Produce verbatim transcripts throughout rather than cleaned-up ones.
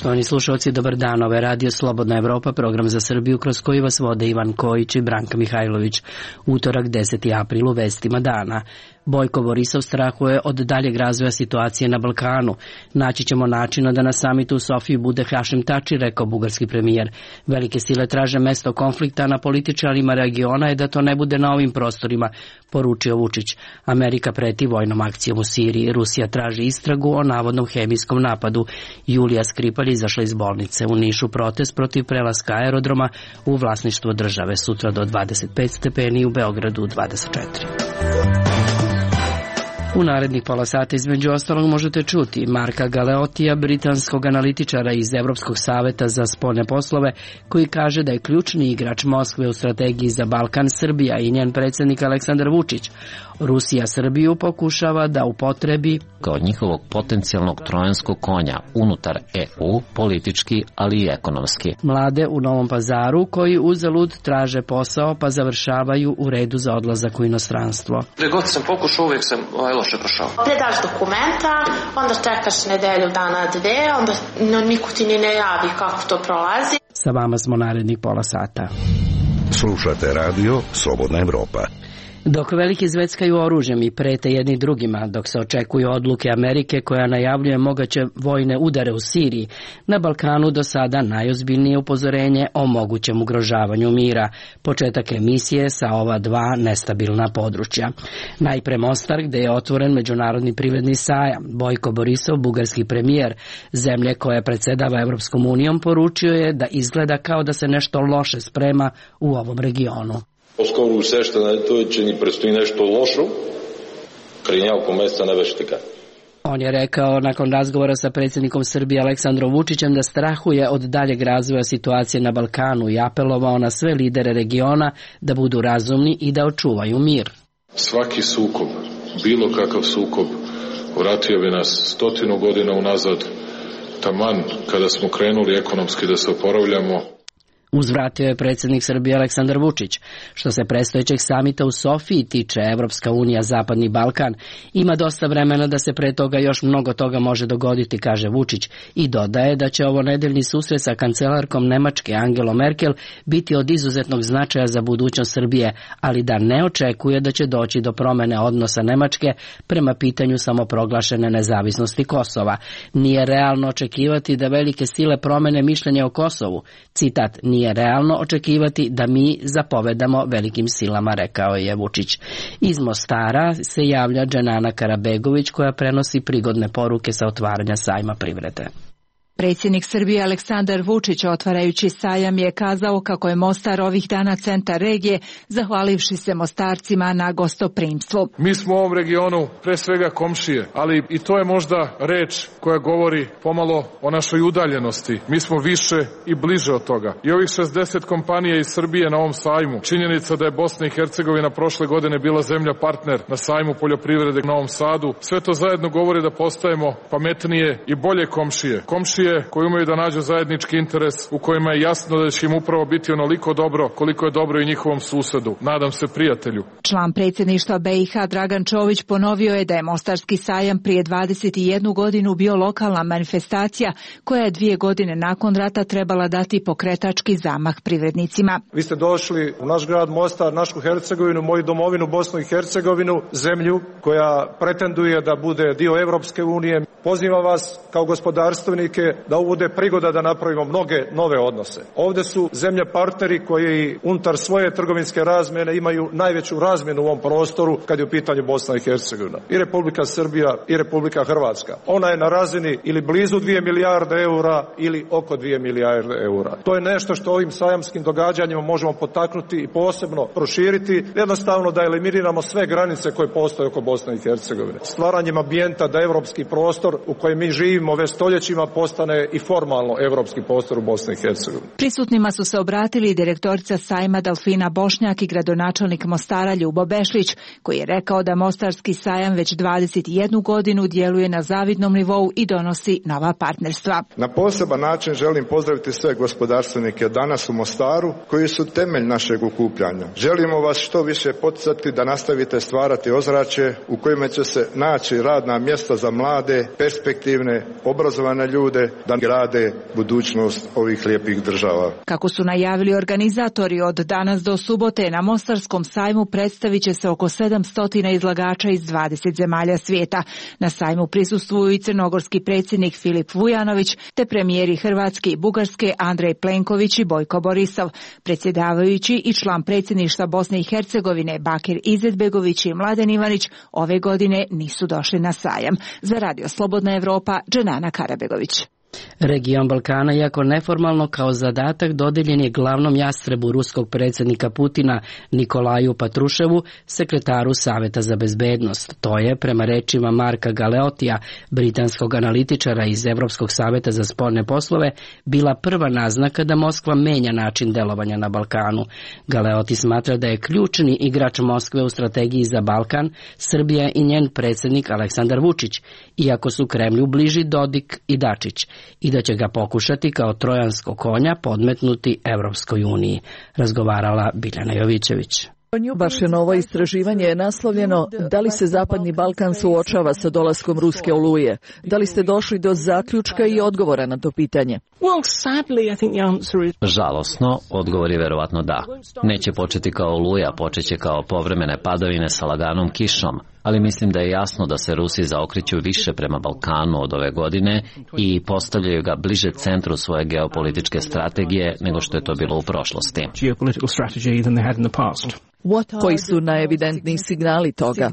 Poštovani slušalci, dobar dan. Ovo je Radio Slobodna Evropa, program za Srbiju kroz koji vas vode Ivan Kojić i Branka Mihajlović. Utorak, deseti april, u vestima dana. Bojko Borisov strahuje od daljeg razvoja situacije na Balkanu. Naći ćemo načina da na samitu u Sofiji bude Hašim Tači, rekao bugarski premijer. Velike sile traže mesto konflikta, na političarima regiona je da to ne bude na ovim prostorima, poručio Vučić. Amerika preti vojnom akcijom u Siriji. Rusija traži istragu o navodnom hemijskom napadu. Julija Skripalj izašla iz bolnice. U Nišu protest protiv prelaska aerodroma u vlasništvo države. Sutra do dvadeset pet stepeni, u Beogradu dvadeset četiri. U narednih pola sata između ostalog možete čuti Marka Galeotija, britanskog analitičara iz Evropskog saveta za spoljne poslove, koji kaže da je ključni igrač Moskve u strategiji za Balkan Srbija i njen predsjednik Aleksandar Vučić. Rusija Srbiju pokušava da upotrebi kao njihovog potencijalnog trojanskog konja unutar E U, politički, ali i ekonomski. Mlade u Novom Pazaru koji uzalud traže posao pa završavaju u redu za odlazak u inostranstvo. Gde god sam pokušao, uvijek sam ovaj loše prošao. Predaš dokumenta, onda čekaš nedelju dana dve, onda no, niko ti ni ne javi kako to prolazi. Sa vama smo narednih pola sata. Slušate radio Slobodna Evropa. Dok veliki zveckaju oružjem i prete jedni drugima, dok se očekuju odluke Amerike koja najavljuje moguće vojne udare u Siriji, na Balkanu do sada najozbiljnije upozorenje o mogućem ugrožavanju mira, početak emisije sa ova dva nestabilna područja. Najpre Mostar, gde je otvoren međunarodni privredni sajam. Bojko Borisov, bugarski premijer zemlje koja predsedava Evropskom unijom, poručio je da izgleda kao da se nešto loše sprema u ovom regionu. По-скоро усещането е, че ни предстои нещо лошо, преди няколко месеца не беше така. On je rekao nakon razgovora sa predsjednikom Srbije Aleksandrom Vučićem da strahuje od daljeg razvoja situacije na Balkanu i apelovao na sve lidere regiona da budu razumni i da očuvaju mir. Svaki sukob, bilo kakav sukob, vratio bi nas stotinu godina unazad, taman kada smo krenuli ekonomski da se oporavljamo. Uzvratio je predsjednik Srbije Aleksandar Vučić. Što se predstojećeg samita u Sofiji tiče, Evropska unija, Zapadni Balkan, ima dosta vremena da se pre toga još mnogo toga može dogoditi, kaže Vučić, i dodaje da će ovo nedeljni susret sa kancelarkom Nemačke Angelom Merkel biti od izuzetnog značaja za budućnost Srbije, ali da ne očekuje da će doći do promene odnosa Nemačke prema pitanju samoproglašene nezavisnosti Kosova. Nije realno očekivati da velike sile promene mišljenje o Kosovu. Citat, nije Nije realno očekivati da mi zapovedamo velikim silama, rekao je Vučić. Iz Mostara se javlja Dženana Karabegović koja prenosi prigodne poruke sa otvaranja sajma privrede. Predsjednik Srbije Aleksandar Vučić, otvarajući sajam, je kazao kako je Mostar ovih dana centar regije, zahvalivši se Mostarcima na gostoprimstvu. Mi smo u ovom regionu pre svega komšije, ali i to je možda reč koja govori pomalo o našoj udaljenosti. Mi smo više i bliže od toga. I ovih šezdeset kompanija iz Srbije na ovom sajmu, činjenica da je Bosna i Hercegovina prošle godine bila zemlja partner na sajmu poljoprivrede u Novom Sadu, sve to zajedno govori da postajemo pametnije i bolje komšije. Komšije koji umeju da nađu zajednički interes u kojima je jasno da će im upravo biti onoliko dobro koliko je dobro i njihovom susedu. Nadam se prijatelju. Član predsjedništva B i H Dragan Čović ponovio je da je Mostarski sajam prije dvadeset jednu godinu bio lokalna manifestacija koja je dvije godine nakon rata trebala dati pokretački zamah privrednicima. Vi ste došli u naš grad Mostar, našu Hercegovinu, moju domovinu Bosnu i Hercegovinu, zemlju koja pretenduje da bude dio Evropske unije. Pozivam vas kao gospodarstvenike da ovo bude prigoda da napravimo mnoge nove odnose. Ovdje su zemlje partneri koji unutar svoje trgovinske razmjene imaju najveću razmjenu u ovom prostoru kad je u pitanju Bosna i Hercegovina. I Republika Srbija i Republika Hrvatska. Ona je na razini ili blizu dvije milijarde eura ili oko dvije milijarde eura. To je nešto što ovim sajamskim događanjima možemo potaknuti i posebno proširiti, jednostavno da eliminiramo sve granice koje postoje oko Bosne i Hercegovine. Stvaranjem ambijenta da evropski prostor u kojem mi živimo već stoljećima postane i formalno evropski prostor u Bosni i Hercegovini. Prisutnima su se obratili direktorica sajma Delfina Bošnjak i gradonačelnik Mostara Ljubo Bešlić, koji je rekao da Mostarski sajam već dvadeset jednu godinu djeluje na zavidnom nivou i donosi nova partnerstva. Na poseban način želim pozdraviti sve gospodarstvenike danas u Mostaru, koji su temelj našeg okupljanja. Želimo vas što više poticati da nastavite stvarati ozračje u kojima će se naći radna mjesta za mlade, perspektivne, obrazovane ljude da grade budućnost ovih lijepih država. Kako su najavili organizatori, od danas do subote na Mostarskom sajmu predstavit će se oko sedamsto izlagača iz dvadeset zemalja svijeta. Na sajmu prisustvuju i crnogorski predsjednik Filip Vujanović, te premijeri Hrvatske i Bugarske Andrej Plenković i Bojko Borisov. Predsjedavajući i član predsjedništva Bosne i Hercegovine Bakir Izetbegović i Mladen Ivanić ove godine nisu došli na sajam. Za Radio Slobodna Evropa, Dženana Karabegović. Region Balkana, iako neformalno kao zadatak, dodeljen je glavnom jastrebu ruskog predsjednika Putina Nikolaju Patruševu, sekretaru Saveta za bezbednost. To je, prema rečima Marka Galeotija, britanskog analitičara iz Evropskog saveta za spoljne poslove, bila prva naznaka da Moskva menja način delovanja na Balkanu. Galeoti smatra da je ključni igrač Moskve u strategiji za Balkan Srbija i njen predsjednik Aleksandar Vučić, iako su Kremlju bliži Dodik i Dačić, i da će ga pokušati kao trojansko konja podmetnuti Evropskoj uniji, razgovarala Biljana Jovićević. Vaše novo istraživanje je naslovljeno Da li se Zapadni Balkan suočava sa dolaskom ruske oluje? Da li ste došli do zaključka i odgovora na to pitanje? Žalosno, odgovor je verovatno da. Neće početi kao oluja, počeće kao povremene padavine sa laganom kišom, ali mislim da je jasno da se Rusi zaokreću više prema Balkanu od ove godine i postavljaju ga bliže centru svoje geopolitičke strategije nego što je to bilo u prošlosti. Koji su najevidentniji signali toga?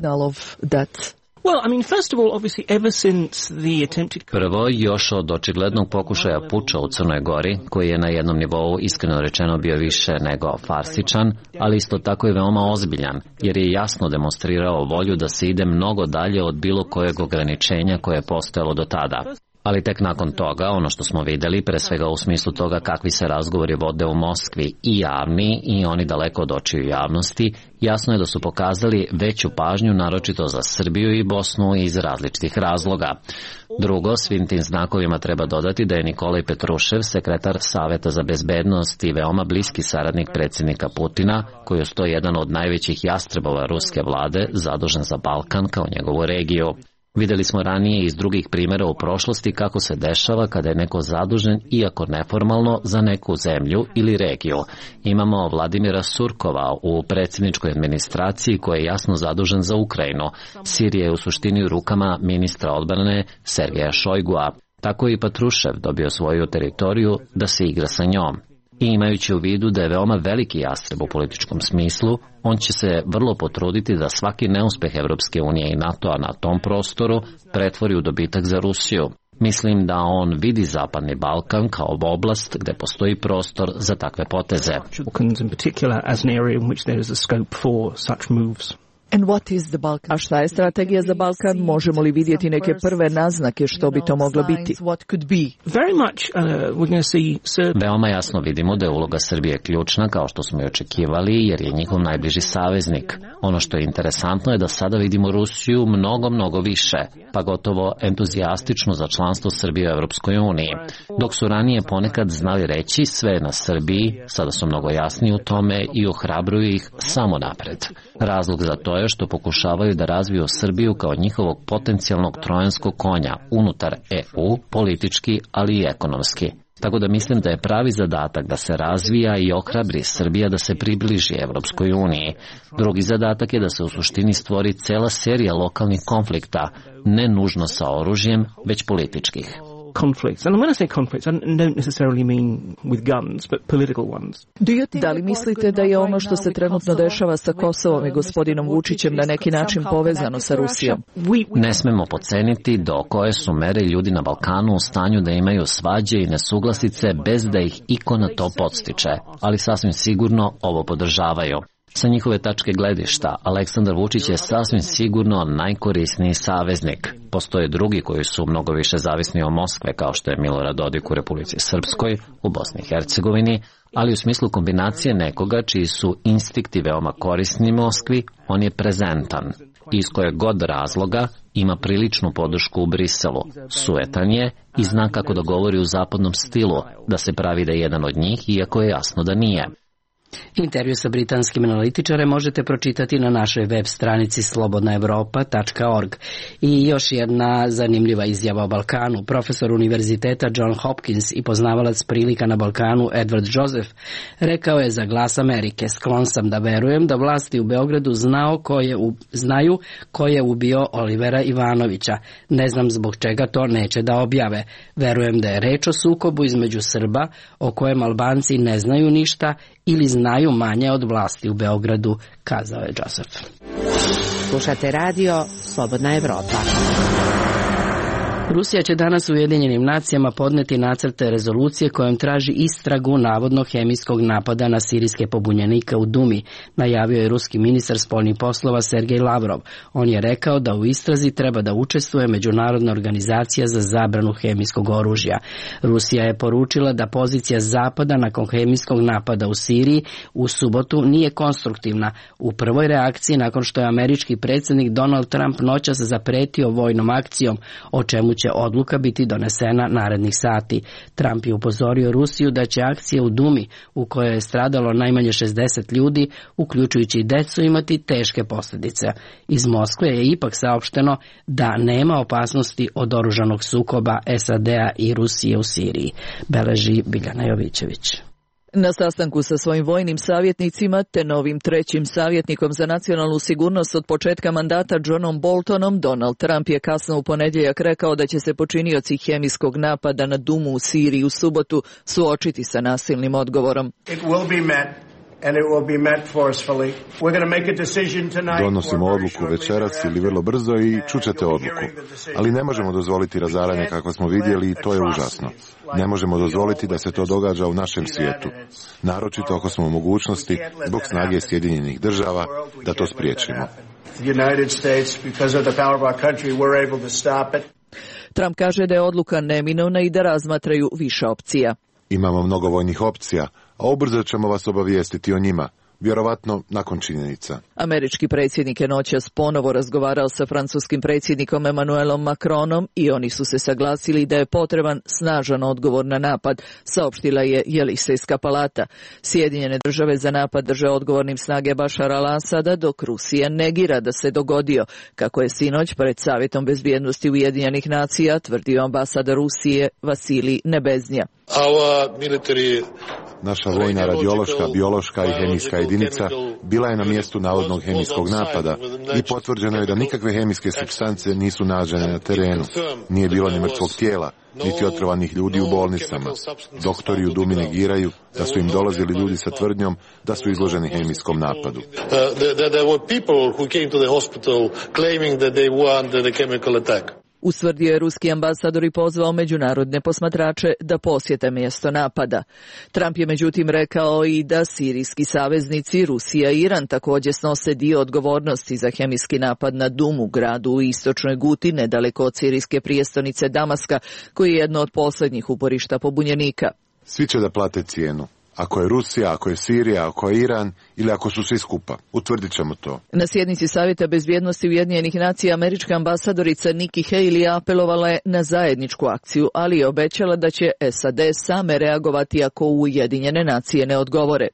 Prvo, još od očiglednog pokušaja puča u Crnoj Gori, koji je na jednom nivou iskreno rečeno bio više nego farsičan, ali isto tako i veoma ozbiljan, jer je jasno demonstrirao volju da se ide mnogo dalje od bilo kojeg ograničenja koje je postojalo do tada. Ali tek nakon toga, ono što smo videli, pre svega u smislu toga kakvi se razgovori vode u Moskvi, i javni i oni daleko od očiju javnosti, jasno je da su pokazali veću pažnju naročito za Srbiju i Bosnu iz različitih razloga. Drugo, svim tim znakovima treba dodati da je Nikolaj Petrušev, sekretar Saveta za bezbednost i veoma bliski saradnik predsjednika Putina, koji je sto jedan od najvećih jastrebova ruske vlade, zadužen za Balkan kao njegovu regiju. Videli smo ranije iz drugih primjera u prošlosti kako se dešava kada je neko zadužen, iako neformalno, za neku zemlju ili regiju. Imamo Vladimira Surkova u predsjedničkoj administraciji koji je jasno zadužen za Ukrajinu. Sirija je u suštini u rukama ministra odbrane Sergeja Šojgua. Tako je i Patrušev dobio svoju teritoriju da se igra sa njom. I imajući u vidu da je veoma veliki jastreb u političkom smislu, on će se vrlo potruditi da svaki neuspeh Evropske unije i NATO-a na tom prostoru pretvori u dobitak za Rusiju. Mislim da on vidi Zapadni Balkan kao oblast gde postoji prostor za takve poteze. A šta je strategija za Balkan? Možemo li vidjeti neke prve naznake što bi to moglo biti? Veoma jasno vidimo da je uloga Srbije ključna, kao što smo i očekivali, jer je njihov najbliži saveznik. Ono što je interesantno je da sada vidimo Rusiju mnogo, mnogo više, pa gotovo entuzijastično za članstvo Srbije u Evropskoj uniji. Dok su ranije ponekad znali reći sve je na Srbiji, sada su mnogo jasniji u tome i ohrabruju ih samo napred. Razlog za to je što pokušavaju da razviju Srbiju kao njihovog potencijalnog trojanskog konja unutar E U, politički, ali i ekonomski. Tako da mislim da je pravi zadatak da se razvija i ohrabri Srbija da se približi Evropskoj uniji. Drugi zadatak je da se u suštini stvori cela serija lokalnih konflikta, ne nužno sa oružjem, već političkih. Conflicts. And when I say conflicts, I don't necessarily mean with guns, but political ones. Da li mislite da je ono što se trenutno dešava sa Kosovom i gospodinom Vučićem na neki način povezano sa Rusijom? Ne smemo podceniti do koje su mere ljudi na Balkanu u stanju da imaju svađe i nesuglasice bez da ih iko na to podstiče, ali sasvim sigurno ovo podržavaju. Sa njihove tačke gledišta, Aleksandar Vučić je sasvim sigurno najkorisniji saveznik. Postoje drugi koji su mnogo više zavisni od Moskve, kao što je Milorad Dodik u Republici Srpskoj, u Bosni i Hercegovini, ali u smislu kombinacije nekoga čiji su instinkti veoma korisni Moskvi, on je prezentan. Iz kojeg god razloga ima priličnu podršku u Briselu, suetan je i zna kako da govori u zapadnom stilu, da se pravi da je jedan od njih, iako je jasno da nije. Intervju sa britanskim analitičarem možete pročitati na našoj web stranici slobodna evropa tačka org. I još jedna zanimljiva izjava o Balkanu. Profesor univerziteta John Hopkins i poznavalac prilika na Balkanu Edward Joseph rekao je za Glas Amerike: sklon sam da verujem da vlasti u Beogradu znao ko je, znaju ko je ubio Olivera Ivanovića. Ne znam zbog čega to neće da objave. Verujem da je reč o sukobu između Srba o kojem Albanci ne znaju ništa ili znaju manje od vlasti u Beogradu, kazao je Joseph. Slušate radio Slobodna Evropa. Rusija će danas u Ujedinjenim nacijama podneti nacrte rezolucije kojom traži istragu navodno hemijskog napada na sirijske pobunjenike u Dumi, najavio je ruski ministar spoljnih poslova Sergej Lavrov. On je rekao da u istrazi treba da učestvuje Međunarodna organizacija za zabranu hemijskog oružja. Rusija je poručila da pozicija Zapada nakon hemijskog napada u Siriji u subotu nije konstruktivna. U prvoj reakciji nakon što je američki predsjednik Donald Trump noćas zapretio vojnom akcijom, o čemu će odluka biti donesena narednih sati. Trump je upozorio Rusiju da će akcija u Dumi, u kojoj je stradalo najmanje šezdeset ljudi, uključujući i decu, imati teške posljedice. Iz Moskve je ipak saopšteno da nema opasnosti od oružanog sukoba S A D-a i Rusije u Siriji, beleži Biljana Jovićević. Na sastanku sa svojim vojnim savjetnicima te novim trećim savjetnikom za nacionalnu sigurnost od početka mandata Johnom Boltonom, Donald Trump je kasno u ponedjeljak rekao da će se počinioci hemijskog napada na Dumu u Siriji u subotu suočiti sa nasilnim odgovorom. It will be met. And it will be met forcefully. We're going to make a decision tonight. Donosimo odluku večeras ili vrlo brzo i čućete odluku. Ali ne možemo dozvoliti razaranje kako smo vidjeli i to je užasno. Ne možemo dozvoliti da se to događa u našem svijetu. Naročito ako smo u mogućnosti, zbog snage Sjedinjenih država, da to spriječimo. Trump kaže da je odluka neminovna i da razmatraju više opcija. Imamo mnogo vojnih opcija, a ubrzo ćemo vas obavijestiti o njima, vjerovatno nakon činjenica. Američki predsjednik je noćas ponovo razgovarao sa francuskim predsjednikom Emmanuelom Macronom i oni su se saglasili da je potreban snažan odgovor na napad, saopštila je Jelisejska palata. Sjedinjene države za napad drže odgovornim snage Bašara al-Asada, dok Rusija negira da se dogodio, kako je sinoć pred Savjetom bezbjednosti Ujedinjenih nacija tvrdio ambasador Rusije Vasilij Nebeznja. Naša vojna radiološka, biološka i hemijska jedinica bila je na mjestu navodnog hemijskog napada i potvrđeno je da nikakve hemijske supstance nisu nađene na terenu. Nije bilo ni mrtvog tijela, niti otrovanih ljudi u bolnicama. Doktori u Dumi negiraju da su im dolazili ljudi sa tvrdnjom da su izloženi hemijskom napadu. Ustvrdio je ruski ambasador i pozvao međunarodne posmatrače da posjete mjesto napada. Trump je međutim rekao i da sirijski saveznici Rusija i Iran također snose dio odgovornosti za hemijski napad na Dumu, gradu u istočnoj Guti, nedaleko od sirijske prijestolnice Damaska, koji je jedno od posljednjih uporišta pobunjenika. Svi će da plate cijenu. Ako je Rusija, ako je Sirija, ako je Iran ili ako su svi skupa. Utvrdit ćemo to. Na sjednici Savjeta bezbjednosti Ujedinjenih nacija američka ambasadorica Nikki Haley apelovala je na zajedničku akciju, ali je obećala da će S A D same reagovati ako Ujedinjene nacije ne odgovore.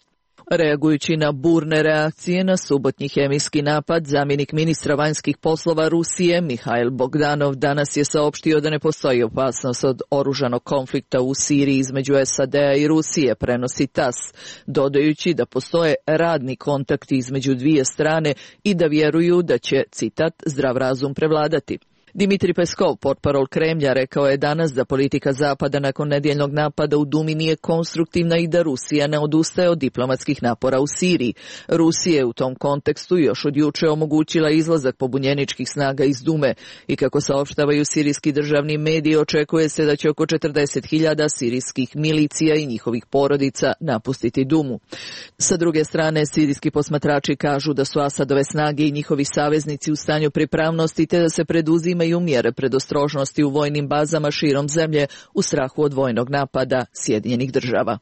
Reagujući na burne reakcije na subotnji hemijski napad, zamjenik ministra vanjskih poslova Rusije Mihail Bogdanov danas je saopštio da ne postoji opasnost od oružanog konflikta u Siriji između S A D-a i Rusije, prenosi T A S, dodajući da postoje radni kontakti između dvije strane i da vjeruju da će, citat, zdrav razum prevladati. Dmitri Peskov, portparol Kremlja, rekao je danas da politika Zapada nakon nedjeljnog napada u Dumi nije konstruktivna i da Rusija ne odustaje od diplomatskih napora u Siriji. Rusija je u tom kontekstu još od juče omogućila izlazak pobunjeničkih snaga iz Dume i kako saopštavaju sirijski državni mediji, očekuje se da će oko četrdeset hiljada sirijskih milicija i njihovih porodica napustiti Dumu. Sa druge strane, sirijski posmatrači kažu da su Asadove snage i njihovi saveznici u stanju pripravnosti te da se preduzima uzimaju mjere predostrožnosti u vojnim bazama širom zemlje u strahu od vojnog napada Sjedinjenih država.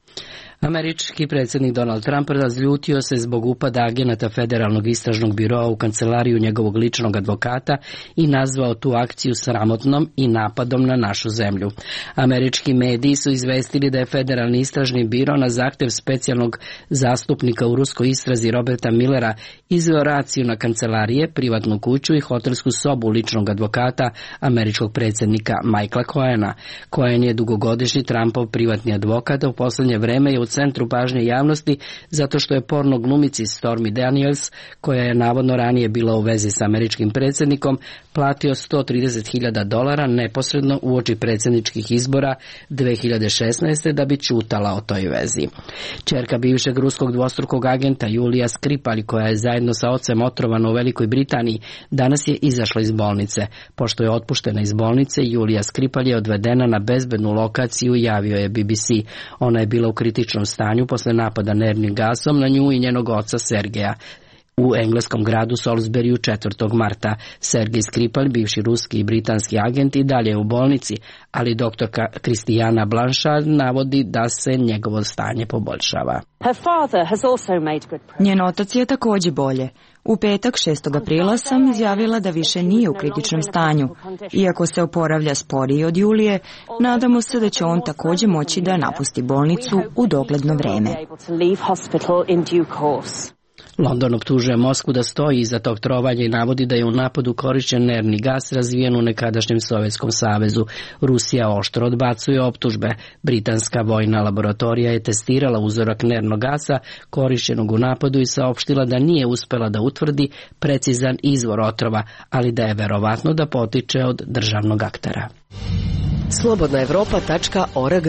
Američki predsjednik Donald Trump razljutio se zbog upada agenata Federalnog istražnog biroa u kancelariju njegovog ličnog advokata i nazvao tu akciju sramotnom i napadom na našu zemlju. Američki mediji su izvestili da je Federalni istražni biro na zahtev specijalnog zastupnika u ruskoj istrazi Roberta Millera izveo raciju na kancelarije, privatnu kuću i hotelsku sobu ličnog advokata američkog predsjednika Michaela Cohena. Cohen je dugogodišnji Trumpov privatni advokat, a u posljednje vreme je u centru pažnje javnosti zato što je porno glumici Stormy Daniels, koja je navodno ranije bila u vezi s američkim predsjednikom, platio sto trideset hiljada dolara neposredno uoči predsjedničkih izbora dve hiljade šesnaeste. da bi ćutala o toj vezi. Ćerka bivšeg ruskog dvostrukog agenta Julija Skripalj, koja je zajedno sa ocem otrovana u Velikoj Britaniji, danas je izašla iz bolnice. Pošto je otpuštena iz bolnice, Julija Skripalj je odvedena na bezbednu lokaciju, javio je B B C. Ona je bila u kritičnom stanju posle napada nervnim gasom na nju i njenog oca Sergeja u engleskom gradu Salisburyu četvrtog marta. Sergej Skripalj, bivši ruski i britanski agent, i dalje je u bolnici, ali doktorka Kristijana Blanchard navodi da se njegovo stanje poboljšava. Njen otac je također bolje. U petak šestog aprila sam izjavila da više nije u kritičnom stanju. Iako se oporavlja sporije od Julije, nadamo se da će on također moći da napusti bolnicu u dogledno vreme. London optužuje Moskvu da stoji iza tog trovanja i navodi da je u napadu korišćen nervni gas razvijen u nekadašnjem Sovjetskom savezu. Rusija oštro odbacuje optužbe. Britanska vojna laboratorija je testirala uzorak nervnog gasa korišćenog u napadu i saopštila da nije uspela da utvrdi precizan izvor otrova, ali da je verovatno da potiče od državnog aktera. slobodna evropa tačka org.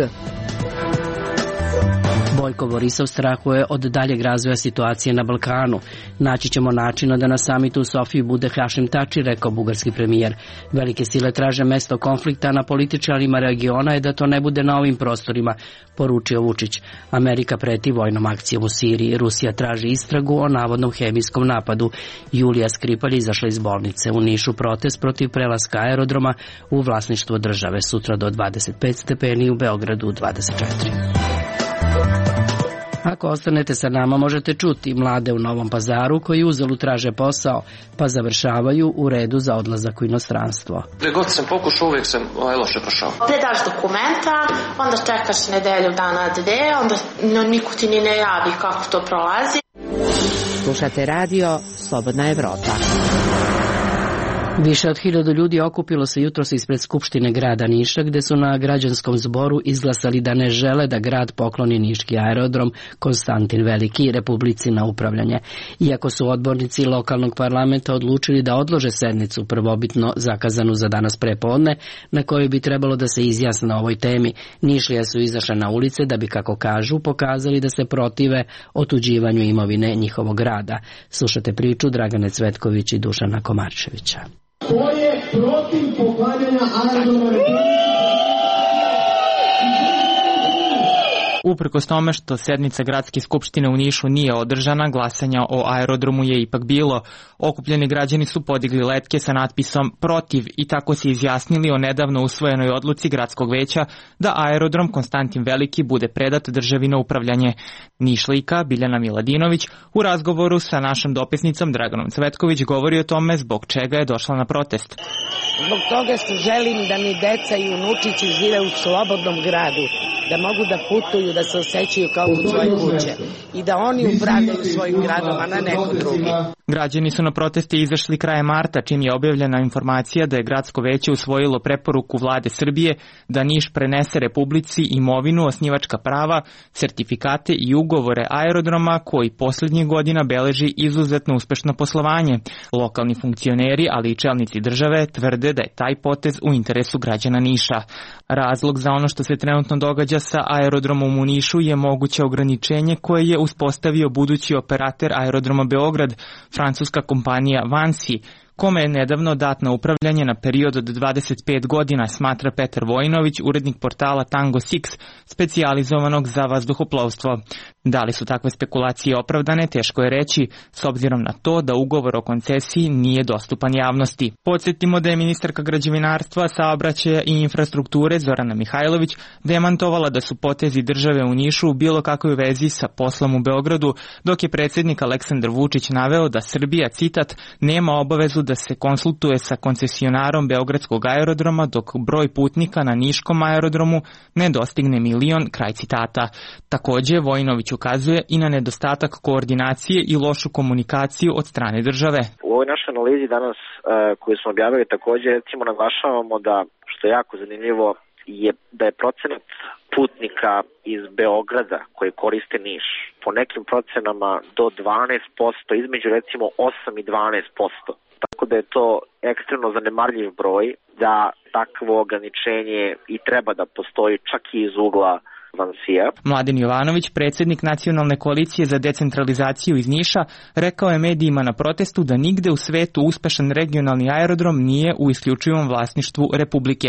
Bojko Borisov strahuje od daljeg razvoja situacije na Balkanu. Naći ćemo načina da na samitu u Sofiji bude Hašim Tači, rekao bugarski premijer. Velike sile traže mesto konflikta, na političarima regiona je da to ne bude na ovim prostorima, poručio Vučić. Amerika preti vojnom akcijom u Siriji. Rusija traži istragu o navodnom hemijskom napadu. Julija Skripalj izašla iz bolnice. U Nišu protest protiv prelaska aerodroma u vlasništvo države. Sutra do dvadeset pet stepeni, u Beogradu dvadeset četiri. Ako ostanete sa nama, možete čuti mlade u Novom Pazaru koji uzalud traže posao, pa završavaju u redu za odlazak u inostranstvo. Gde god sam pokušao, uvijek sam ovaj, loše prošao. Predaš dokumenta, onda čekaš nedelju dana dve, onda no, niko ti ni ne javi kako to prolazi. Slušate radio Slobodna Evropa. Više od hiljadu ljudi okupilo se jutros ispred Skupštine grada Niša, gde su na građanskom zboru izglasali da ne žele da grad pokloni niški aerodrom Konstantin Veliki Republici na upravljanje. Iako su odbornici lokalnog parlamenta odlučili da odlože sednicu prvobitno zakazanu za danas prepodne, na kojoj bi trebalo da se izjasne o ovoj temi, Nišlije su izašle na ulice da bi, kako kažu, pokazali da se protive otuđivanju imovine njihovog grada. Slušate priču Dragane Cvetković i Dušana Komarčevića. To je protiv poklanjanja aerodroma Republike. Uprkos tome što sednica Gradske skupštine u Nišu nije održana, glasanja o aerodromu je ipak bilo. Okupljeni građani su podigli letke sa natpisom protiv i tako se izjasnili o nedavno usvojenoj odluci Gradskog veća da aerodrom Konstantin Veliki bude predat državi na upravljanje. Nišlijka Biljana Miladinović u razgovoru sa našom dopisnicom Draganom Cvetković govori o tome zbog čega je došla na protest. Zbog toga što želim da mi deca i unučići žive u slobodnom gradu, da mogu da putuju, da se osjećaju kao kod svoje kuće i da oni upravljaju svojim gradom, a ne neko drugi. Građani su na proteste izašli krajem marta, čim je objavljena informacija da je Gradsko veće usvojilo preporuku vlade Srbije da Niš prenese Republici imovinu, osnivačka prava, sertifikate i ugovore aerodroma koji posljednjih godina beleži izuzetno uspešno poslovanje. Lokalni funkcioneri, ali i čelnici države tvrde da je taj potez u interesu građana Niša. Razlog za ono što se trenutno događa sa aerodromom u Nišu je moguće ograničenje koje je uspostavio budući operater aerodroma Beograd, francuska kompanija Vansi, kome je nedavno dat na upravljanje na period od dvadeset pet godina, smatra Petar Vojinović, urednik portala Tango Six, specijalizovanog za vazduhoplovstvo. Da li su takve spekulacije opravdane, teško je reći, s obzirom na to da ugovor o koncesiji nije dostupan javnosti. Podsjetimo da je ministarka građevinarstva, saobraćaja i infrastrukture Zorana Mihajlović demantovala da su potezi države u Nišu u bilo kakvoj vezi sa poslom u Beogradu, dok je predsjednik Aleksandar Vučić naveo da Srbija, citat, nema obavezu da se konsultuje sa koncesionarom Beogradskog aerodroma dok broj putnika na Niškom aerodromu ne dostigne milion, kraj citata. Takođe, Vojinović ukazuje i na nedostatak koordinacije i lošu komunikaciju od strane države. U ovoj našoj analizi danas uh, koju smo objavili takođe recimo naglašavamo da, što je jako zanimljivo, je da je procenat putnika iz Beograda koji koriste Niš po nekim procenama do dvanaest posto, između recimo osam i dvanaest posto. Tako da je to ekstremno zanemarljiv broj, da takvo ograničenje i treba da postoji čak i iz ugla Vansija. Mladen Jovanović, predsjednik Nacionalne koalicije za decentralizaciju iz Niša, rekao je medijima na protestu da nigde u svetu uspešan regionalni aerodrom nije u isključivom vlasništvu Republike.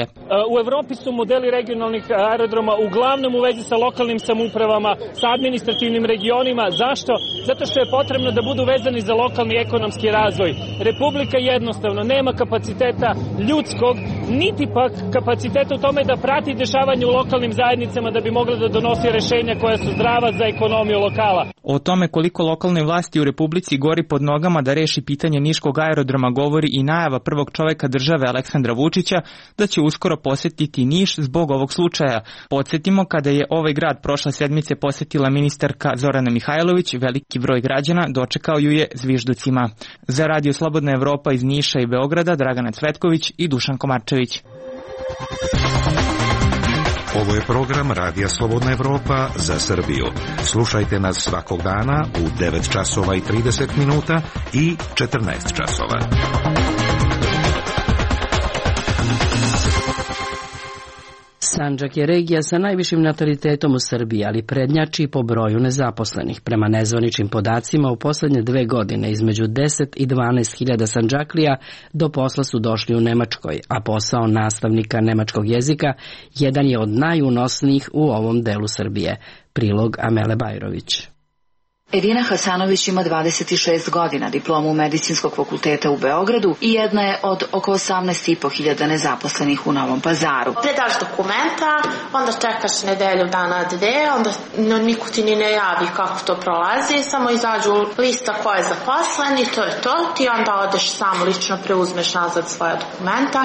U Evropi su modeli regionalnih aerodroma uglavnom u vezi sa lokalnim samoupravama, sa administrativnim regionima. Zašto? Zato što je potrebno da budu vezani za lokalni ekonomski razvoj. Republika jednostavno nema kapaciteta ljudskog, niti pak kapaciteta u tome da prati dešavanje u lokalnim zajednicama da bi mogla da donosi rešenja koja su zdrava za ekonomiju lokala. O tome koliko lokalne vlasti u Republici gori pod nogama da reši pitanje Niškog aerodroma govori i najava prvog čoveka države Aleksandra Vučića da će uskoro posetiti Niš zbog ovog slučaja. Podsjetimo, kada je ovaj grad prošle sedmice posetila ministarka Zorana Mihajlović, veliki broj građana dočekao ju je zvižducima. Za Radio Slobodna Evropa iz Niša i Beograda, Dragana Cvetković i Dušan Komarčević. Ovo je program Radija Slobodna Evropa za Srbiju. Slušajte nas svakog dana u devet časova i trideset minuta i četrnaest časova. Sandžak je regija sa najvišim natalitetom u Srbiji, ali prednjači po broju nezaposlenih. Prema nezvaničnim podacima, u poslednje dve godine između deset i dvanaest hiljada Sandžaklija do posla su došli u Nemačkoj, a posao nastavnika nemačkog jezika jedan je od najunosnijih u ovom delu Srbije. Prilog Amele Bajrović. Edina Hasanović ima dvadeset šest godina, diplomu Medicinskog fakulteta u Beogradu i jedna je od oko osamnaest i po hiljada nezaposlenih u Novom Pazaru. Predaš dokumenta, onda čekaš nedelju dana dve, onda no, niko ti ni ne javi kako to prolazi, samo izađu lista ko je zaposlen i to je to, ti onda odeš sam lično preuzmeš nazad svoje dokumenta.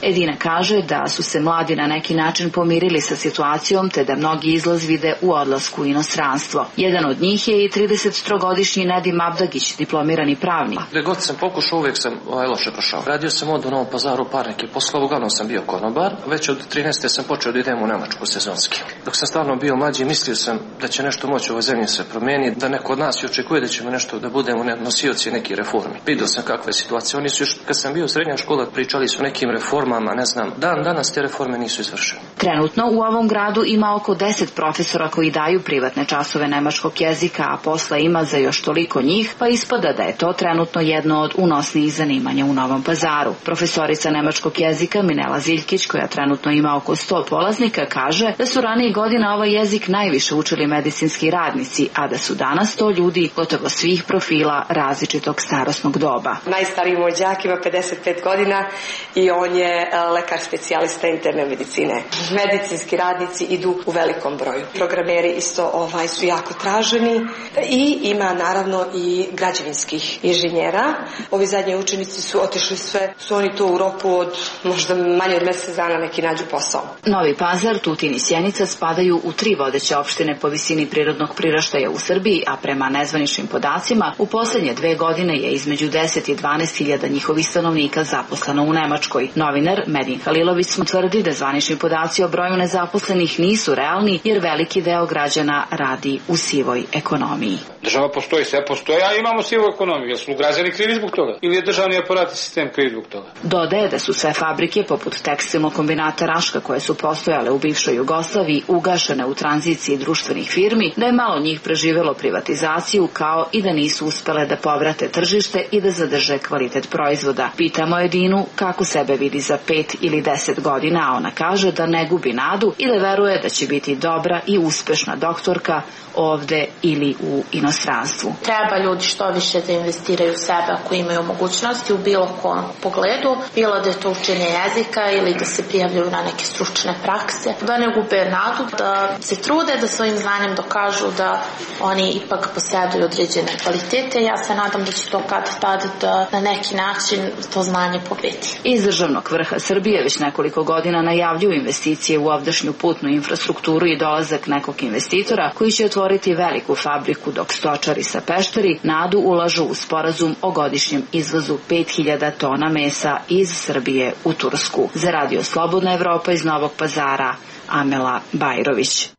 Edina kaže da su se mladi na neki način pomirili sa situacijom, te da mnogi izlaz vide u odlasku u inostranstvo. Jedan od njih je i tridesettrogodišnji Nedim Abdagić, diplomirani pravnik. Gde god sam pokušao, uvijek sam ovaj, loše prošao. Radio sam od u Novom Pazaru par nekih poslova, uglavnom sam bio konobar. Već od trinaeste sam počeo da idem u Nemačku sezonski. Dok sam stvarno bio mlađi, mislio sam da će nešto moći u ovoj zemlji se promijeniti, da neko od nas očekuje da ćemo nešto da budemo nosioci nekih reformi. Vidio sam kakve situacije. Oni su još, kad sam bio u srednja škola, pričali su o nekim reformama, ne znam, dan danas te reforme nisu izvršene. Trenutno u ovom gradu ima oko deset profesora koji daju privatne časove nemačkog jezika, a posla ima za još toliko njih, pa ispada da je to trenutno jedno od unosnijih zanimanja u Novom Pazaru. Profesorica nemačkog jezika Minela Ziljkić, koja trenutno ima oko sto polaznika, kaže da su ranije godina ovaj jezik najviše učili medicinski radnici, a da su danas to ljudi gotovo svih profila različitog starosnog doba. Najstariji moj đak ima pedeset pet godina i on je lekar specijalista interne medicine. Medicinski radnici idu u velikom broju. Programeri isto ovaj su jako traženi i ima naravno i građevinskih inženjera. Ovi zadnji učenici su otišli sve, su oni to u roku od možda manje od mjesec dana neki nađu posao. Novi Pazar, Tutin i Sjenica spadaju u tri vodeće opštine po visini prirodnog priraštaja u Srbiji, a prema nezvaničnim podacima u posljednje dve godine je između deset i dvanaest hiljada njihovih stanovnika zaposleno u Nemačkoj. Novinar Medin Halilović tvrdi da zvanični podaci o broju nezaposlenih nisu realni jer veliki deo građana radi u sivoj ekonomiji. uniji. Država postoji, sve postoji, a imamo sivu ekonomiju. Jel su građani krivi zbog toga? Ili je državni aparat i sistem krivi zbog toga? Dodaje da su sve fabrike, poput tekstilnog kombinata Raška, koje su postojale u bivšoj Jugoslaviji, ugašene u tranziciji društvenih firmi, da je malo njih preživelo privatizaciju, kao i da nisu uspele da povrate tržište i da zadrže kvalitet proizvoda. Pitamo je Dinu kako sebe vidi za pet ili deset godina, a ona kaže da ne gubi nadu i da veruje da će biti dobra i uspešna doktorka ovde ili u inostranstvu. Treba ljudi što više da investiraju u sebe ako imaju mogućnosti u bilo kom pogledu, bilo da je to učenje jezika ili da se prijavljaju na neke stručne prakse, da ne gube nadu, da se trude da svojim znanjem dokažu da oni ipak posjeduju određene kvalitete. Ja se nadam da će to kad tad da na neki način to znanje pobedi. Iz državnog vrha Srbije već nekoliko godina najavljuju investicije u ovdašnju putnu infrastrukturu i dolazak nekog investitora koji će otvoriti veliku fabriku, dok stočari sa Pešteri nadu ulažu u sporazum o godišnjem izvozu pet hiljada tona mesa iz Srbije u Tursku. Za Radio Slobodna Evropa iz Novog Pazara, Amela Bajrović.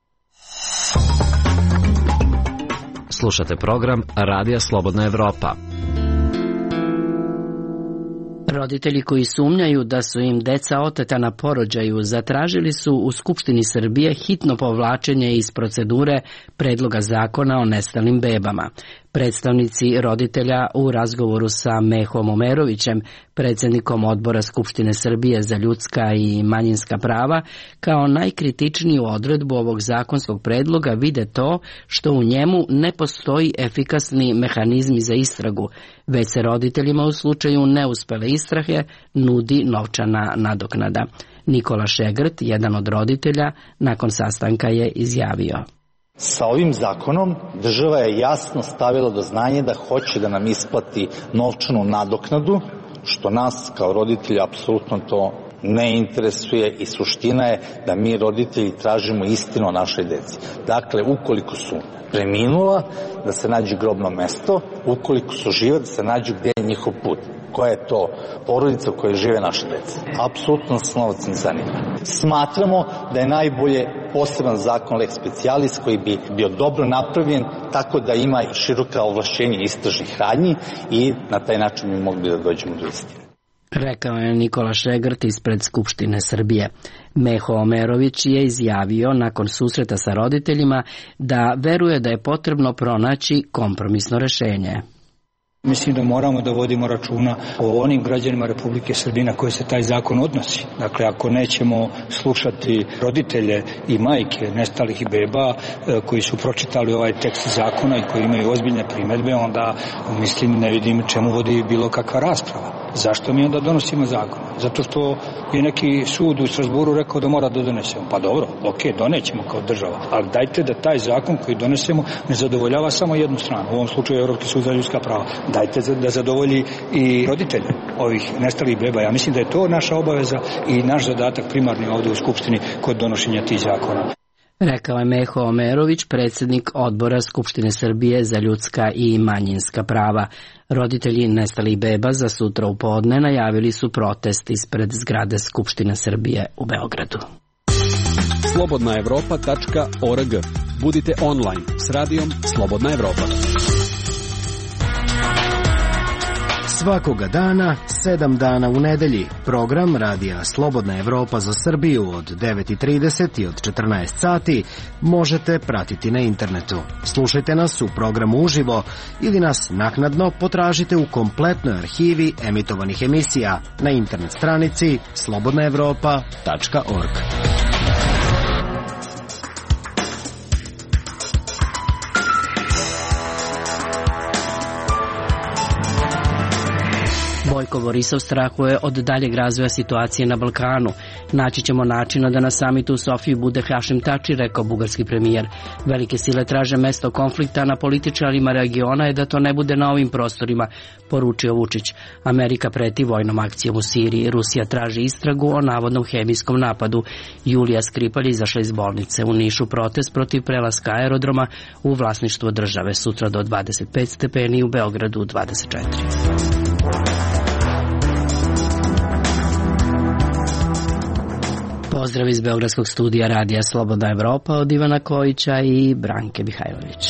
Slušate program Radija Slobodna Evropa. Roditelji koji sumnjaju da su im deca oteta na porođaju zatražili su u Skupštini Srbije hitno povlačenje iz procedure predloga zakona o nestalim bebama. Predstavnici roditelja u razgovoru sa Mehom Omerovićem, predsjednikom Odbora Skupštine Srbije za ljudska i manjinska prava, kao najkritičniju odredbu ovog zakonskog predloga vide to što u njemu ne postoji efikasni mehanizmi za istragu, već se roditeljima u slučaju neuspele istrage nudi novčana nadoknada. Nikola Šegrt, jedan od roditelja, nakon sastanka je izjavio: Sa ovim zakonom država je jasno stavila do znanja da hoće da nam isplati novčanu nadoknadu, što nas kao roditelji apsolutno to ne interesuje i suština je da mi roditelji tražimo istinu o našoj deci. Dakle, ukoliko su preminula, da se nađe grobno mesto, ukoliko su žive, da se nađu gdje je njihov put. Koja je to porodica u kojoj žive naše dece. Apsolutno nas novac ne zanima. Smatramo da je najbolje poseban zakon lex specialis koji bi bio dobro napravljen tako da ima široka ovlašćenja istražnih radnji i na taj način bi mogli da dođemo do istine. Rekao je Nikola Šegrt ispred Skupštine Srbije. Meho Omerović je izjavio nakon susreta sa roditeljima da veruje da je potrebno pronaći kompromisno rešenje. Mislim da moramo da vodimo računa o onim građanima Republike Srbije na koje se taj zakon odnosi. Dakle, ako nećemo slušati roditelje i majke nestalih beba koji su pročitali ovaj tekst zakona i koji imaju ozbiljne primedbe, onda mislim ne vidim čemu vodi bilo kakva rasprava. Zašto mi onda donosimo zakon? Zato što je neki sud u Strasburu rekao da mora da donesemo. Pa dobro, ok, donećemo kao država, ali dajte da taj zakon koji donesemo ne zadovoljava samo jednu stranu, u ovom slučaju Evropski sud za ljudska prava. Dajte da zadovolji i roditelje ovih nestalih beba. Ja mislim da je to naša obaveza i naš zadatak primarni ovdje u Skupštini kod donošenja tih zakona. Rekao je Meho Omerović, predsjednik Odbora Skupštine Srbije za ljudska i manjinska prava. Roditelji nestalih beba za sutra u podne najavili su protest ispred zgrade Skupštine Srbije u Beogradu. slobodna evropa tačka org. Budite online s radijom Slobodna Evropa. Svakoga dana, sedam dana u nedelji, program Radija Slobodna Evropa za Srbiju od devet i trideset i od četrnaest sati možete pratiti na internetu. Slušajte nas u programu uživo ili nas naknadno potražite u kompletnoj arhivi emitovanih emisija na internet stranici slobodna evropa tačka org. Bojko Borisov strahuje od daljeg razvoja situacije na Balkanu. Naći ćemo načina da na samitu u Sofiji bude Hašim Tači, rekao bugarski premijer. Velike sile traže mesto konflikta, na političarima regiona je da to ne bude na ovim prostorima, poručio Vučić. Amerika preti vojnom akcijom u Siriji. Rusija traži istragu o navodnom hemijskom napadu. Julija Skripalj izašla iz bolnice. U Nišu protest protiv prelaska aerodroma u vlasništvo države. Sutra do dvadeset pet stepeni, u Beogradu dvadeset četiri. Pozdrav iz Beogradskog studija Radija Slobodna Evropa od Ivana Kojića i Branke Mihajlović.